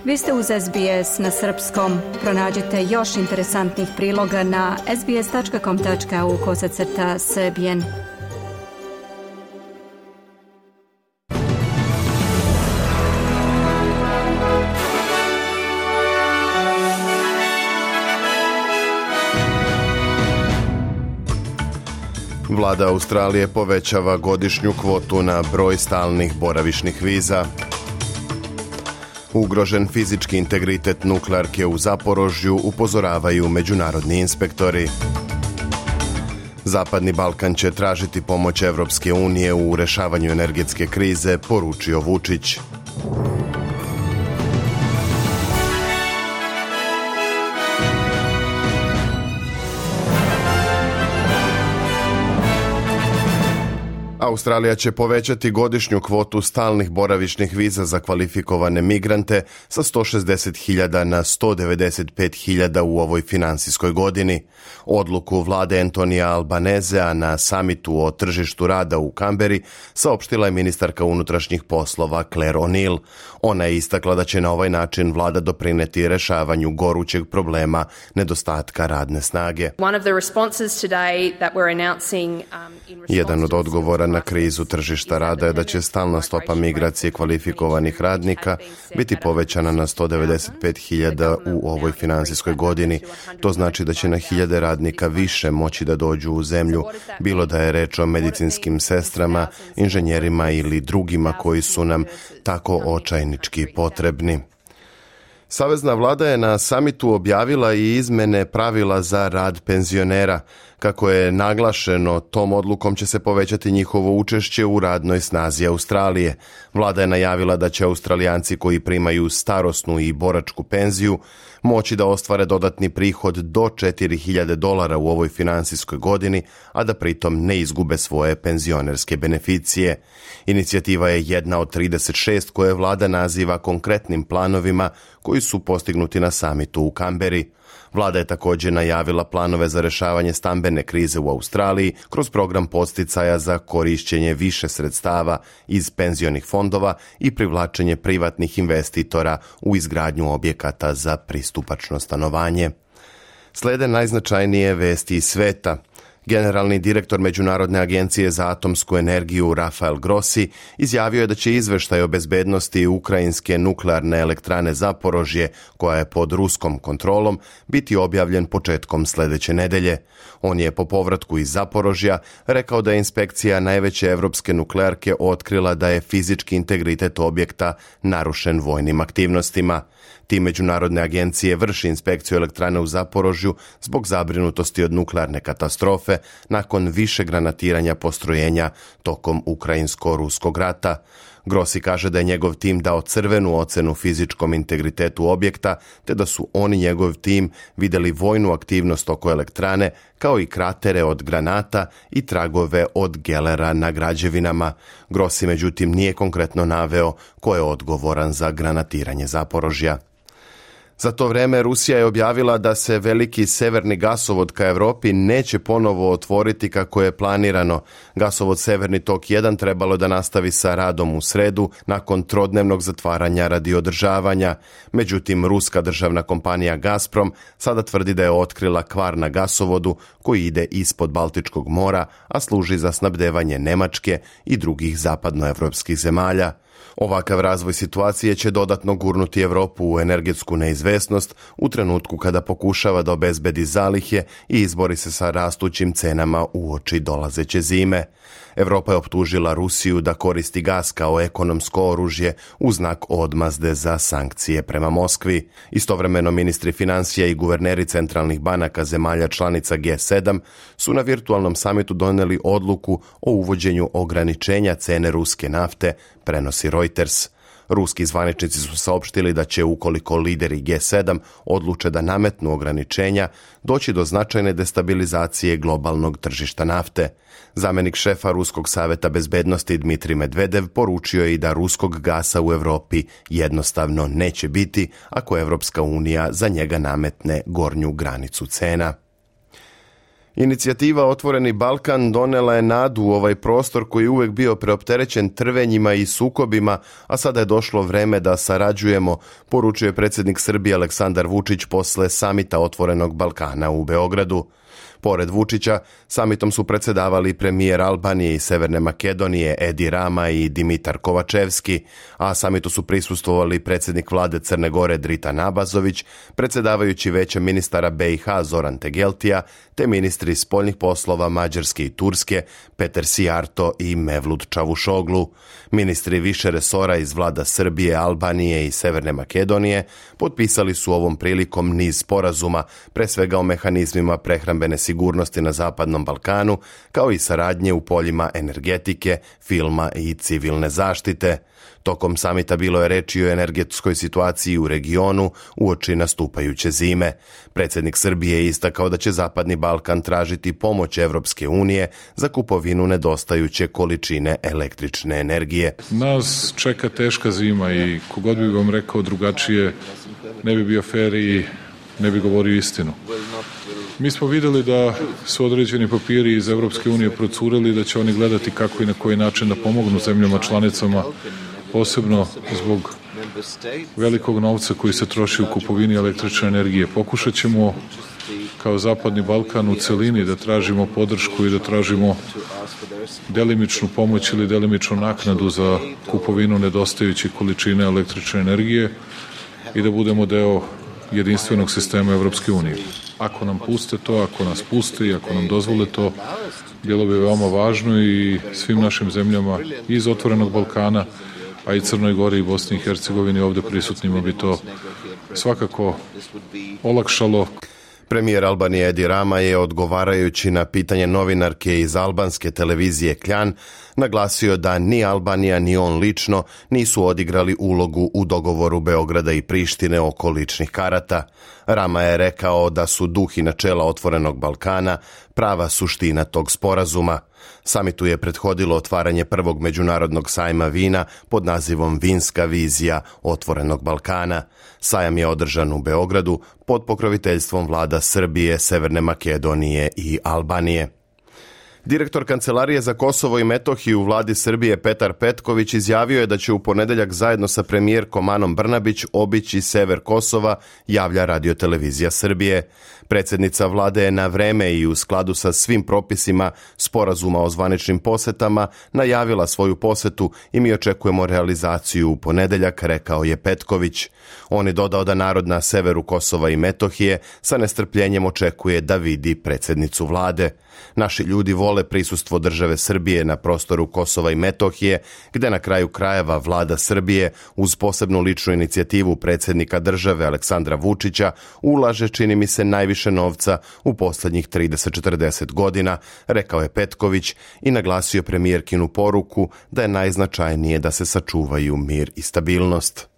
Vi ste uz SBS na srpskom. Pronađite još interesantnih priloga na sbs.com.au/srbijen. Vlada Australije povećava godišnju kvotu na broj stalnih boravišnih viza. Ugrožen fizički integritet nuklearke u Zaporožju, upozoravaju međunarodni inspektori. Zapadni Balkan će tražiti pomoć Evropske unije u rešavanju energetske krize, poručio Vučić. Australija će povećati godišnju kvotu stalnih boravišnih viza za kvalifikovane migrante sa 160.000 na 195.000 u ovoj finansijskoj godini. Odluku vlade Antonija Albanezea na samitu o tržištu rada u Kamberi saopštila je ministarka unutrašnjih poslova Claire O'Neil. Ona je istakla da će na ovaj način vlada doprineti rešavanju gorućeg problema nedostatka radne snage. Jedan od odgovora na krizu tržišta rada je da će stalna stopa migracije kvalifikovanih radnika biti povećana na 195.000 u ovoj finansijskoj godini. To znači da će na 1.000 radnika više moći da dođu u zemlju, bilo da je reč o medicinskim sestrama, inženjerima ili drugima koji su nam tako očajnički potrebni. Savezna vlada je na samitu objavila i izmene pravila za rad penzionera. Kako je naglašeno, tom odlukom će se povećati njihovo učešće u radnoj snazi Australije. Vlada je najavila da će Australijanci koji primaju starosnu i boračku penziju moći da ostvare dodatni prihod do $4.000 u ovoj finansijskoj godini, a da pritom ne izgube svoje penzionerske beneficije. Inicijativa je jedna od 36 koje vlada naziva konkretnim planovima koji su postignuti na samitu u Kamberi. Vlada je također najavila planove za rešavanje stambene krize u Australiji kroz program podsticaja za korišćenje više sredstava iz penzionih fondova i privlačenje privatnih investitora u izgradnju objekata za pristupačno stanovanje. Slede najznačajnije vesti iz sveta. Generalni direktor Međunarodne agencije za atomsku energiju Rafael Grossi izjavio je da će izveštaj o bezbednosti ukrajinske nuklearne elektrane Zaporožje, koja je pod ruskom kontrolom, biti objavljen početkom sljedeće nedelje. On je po povratku iz Zaporožja rekao da je inspekcija najveće evropske nuklearke otkrila da je fizički integritet objekta narušen vojnim aktivnostima. Tim međunarodne agencije vrši inspekciju elektrane u Zaporožju zbog zabrinutosti od nuklearne katastrofe nakon više granatiranja postrojenja tokom ukrajinsko-ruskog rata. Grossi kaže da je njegov tim dao crvenu ocenu fizičkom integritetu objekta, te da su on i njegov tim vidjeli vojnu aktivnost oko elektrane, kao i kratere od granata i tragove od gelera na građevinama. Grossi međutim nije konkretno naveo ko je odgovoran za granatiranje Zaporožja. Za to vrijeme Rusija je objavila da se veliki severni gasovod ka Europi neće ponovo otvoriti kako je planirano. Gasovod Severni tok 1 trebalo da nastavi sa radom u sredu nakon trodnevnog zatvaranja radi održavanja. Međutim, ruska državna kompanija Gazprom sada tvrdi da je otkrila kvar na gasovodu koji ide ispod Baltičkog mora, a služi za snabdevanje Nemačke i drugih zapadnoevropskih zemalja. Ovakav razvoj situacije će dodatno gurnuti Europu u energetsku neizvesnost u trenutku kada pokušava da obezbedi zalihe i izbori se sa rastućim cenama uoči dolazeće zime. Europa je optužila Rusiju da koristi gas kao ekonomsko oružje u znak odmazde za sankcije prema Moskvi. Istovremeno ministri financija i guverneri centralnih banaka zemalja članica G7 su na virtualnom samitu donijeli odluku o uvođenju ograničenja cene ruske nafte, prenosi Reuters. Ruski zvaničnici su saopštili da će, ukoliko lideri G7 odluče da nametnu ograničenja, doći do značajne destabilizacije globalnog tržišta nafte. Zamjenik šefa Ruskog saveta bezbednosti Dmitrij Medvedev poručio je i da ruskog gasa u Europi jednostavno neće biti ako Evropska unija za njega nametne gornju granicu cena. Inicijativa Otvoreni Balkan donela je nadu u ovaj prostor koji je uvijek bio preopterećen trvenjima i sukobima, a sada je došlo vreme da sarađujemo, poručuje predsjednik Srbije Aleksandar Vučić posle samita Otvorenog Balkana u Beogradu. Pored Vučića, samitom su predsjedavali premijer Albanije i Severne Makedonije Edi Rama i Dimitar Kovačevski, a samitu su prisustvovali predsjednik vlade Crne Gore Dritan Abazović, predsjedavajući Većem ministara BiH Zoran Tegeltija, te ministri spoljnih poslova Mađarske i Turske Peter Sijarto i Mevlut Čavušoglu. Ministri više resora iz vlada Srbije, Albanije i Severne Makedonije potpisali su ovom prilikom niz sporazuma, pre svega o mehanizmima prehrambene sigurnosti na Zapadnom Balkanu, kao i saradnje u poljima energetike, filma i civilne zaštite. Tokom samita bilo je reči o energetskoj situaciji u regionu uoči nastupajuće zime. Predsjednik Srbije je istakao da će Zapadni Balkan tražiti pomoć Evropske unije za kupovinu nedostajuće količine električne energije. Nas čeka teška zima i kogod bi vam rekao drugačije ne bi bio fer i ne bi govorio istinu. Mi smo vidjeli da su određeni papiri iz Evropske unije procureli, da će oni gledati kako i na koji način da pomognu zemljama članicama, posebno zbog velikog novca koji se troši u kupovini električne energije. Pokušat ćemo kao Zapadni Balkan u celini da tražimo podršku i da tražimo delimičnu pomoć ili delimičnu naknadu za kupovinu nedostajućih količine električne energije i da budemo deo jedinstvenog sistema Evropske unije. Ako nam puste to, ako nas puste i ako nam dozvole to, bilo bi veoma važno i svim našim zemljama iz Otvorenog Balkana, a i Crnoj Gori i Bosni i Hercegovini ovdje prisutnima bi to svakako olakšalo. Premijer Albanije Edi Rama je, odgovarajući na pitanje novinarke iz albanske televizije Kljan, naglasio da ni Albanija ni on lično nisu odigrali ulogu u dogovoru Beograda i Prištine oko ličnih karata. Rama je rekao da su duh i načela Otvorenog Balkana prava suština tog sporazuma. Samitu je prethodilo otvaranje prvog međunarodnog sajma vina pod nazivom Vinska vizija Otvorenog Balkana. Sajam je održan u Beogradu pod pokroviteljstvom vlada Srbije, Severne Makedonije i Albanije. Direktor Kancelarije za Kosovo i Metohiju u vladi Srbije Petar Petković izjavio je da će u ponedjeljak zajedno sa premijerkom Anom Brnabić obići sever Kosova, javlja Radiotelevizija Srbije. Predsjednica vlade je na vreme i u skladu sa svim propisima sporazuma o zvaničnim posetama najavila svoju posetu i mi očekujemo realizaciju u ponedjeljak, rekao je Petković. On je dodao da narod na severu Kosova i Metohije sa nestrpljenjem očekuje da vidi predsjednicu vlade. Naši ljudi vole prisustvo države Srbije na prostoru Kosova i Metohije, gde na kraju krajeva vlada Srbije uz posebnu ličnu inicijativu predsjednika države Aleksandra Vučića ulaže, čini mi se, najviše novca u posljednjih 30-40 godina, rekao je Petković i naglasio premijerkinu poruku da je najznačajnije da se sačuvaju mir i stabilnost.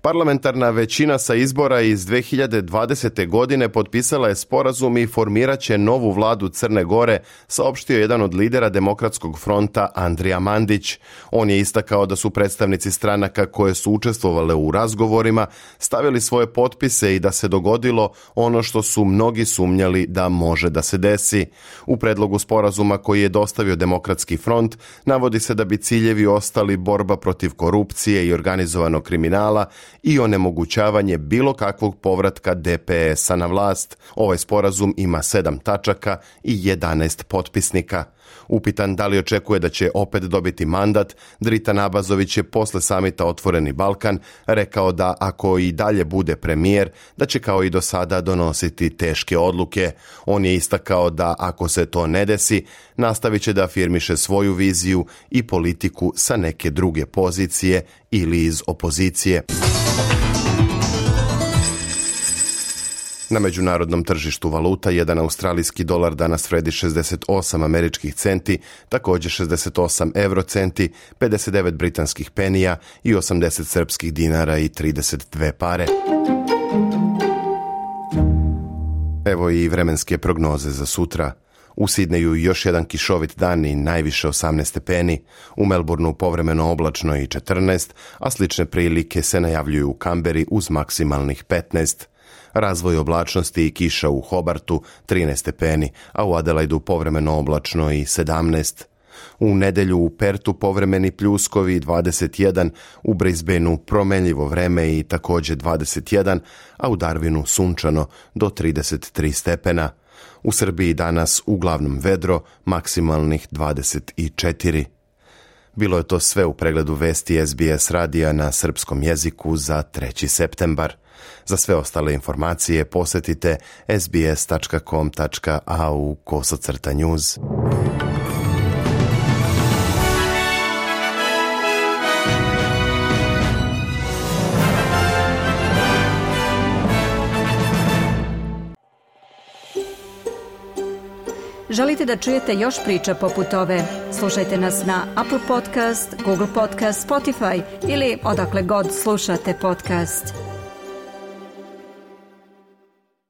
Parlamentarna većina sa izbora iz 2020. godine potpisala je sporazum i formirat će novu vladu Crne Gore, saopštio jedan od lidera Demokratskog fronta Andrija Mandić. On je istakao da su predstavnici stranaka koje su učestvovale u razgovorima stavili svoje potpise i da se dogodilo ono što su mnogi sumnjali da može da se desi. U predlogu sporazuma koji je dostavio Demokratski front navodi se da bi ciljevi ostali borba protiv korupcije i organizovanog kriminala i onemogućavanje bilo kakvog povratka DPS-a na vlast. Ovaj sporazum ima 7 tačaka i 11 potpisnika. Upitan da li očekuje da će opet dobiti mandat, Dritan Abazović je posle samita Otvoreni Balkan rekao da ako i dalje bude premijer, da će kao i do sada donositi teške odluke. On je istakao da ako se to ne desi, nastavit će da afirmiše svoju viziju i politiku sa neke druge pozicije ili iz opozicije. Na međunarodnom tržištu valuta jedan australijski dolar danas vredi 68 američkih centi, također 68 eurocenti, 59 britanskih penija i 80 srpskih dinara i 32 pare. Evo i vremenske prognoze za sutra. U Sidneju još jedan kišovit dan i najviše 18 stepeni, u Melbourneu povremeno oblačno i 14, a slične prilike se najavljuju u Kamberi uz maksimalnih 15. Razvoj oblačnosti i kiša u Hobartu 13 stepeni, a u Adelaidu povremeno oblačno i 17. U nedelju u Pertu povremeni pljuskovi 21, u Brisbaneu promenljivo vreme i također 21, a u Darwinu sunčano do 33 stepena. U Srbiji danas uglavnom vedro, maksimalnih 24. Bilo je to sve u pregledu vesti SBS radija na srpskom jeziku za 3. septembar. Za sve ostale informacije posjetite sbs.com.au/news. Želite da čujete još priča poput ove? Slušajte nas na Apple Podcast, Google Podcast, Spotify ili odakle god slušate podcast.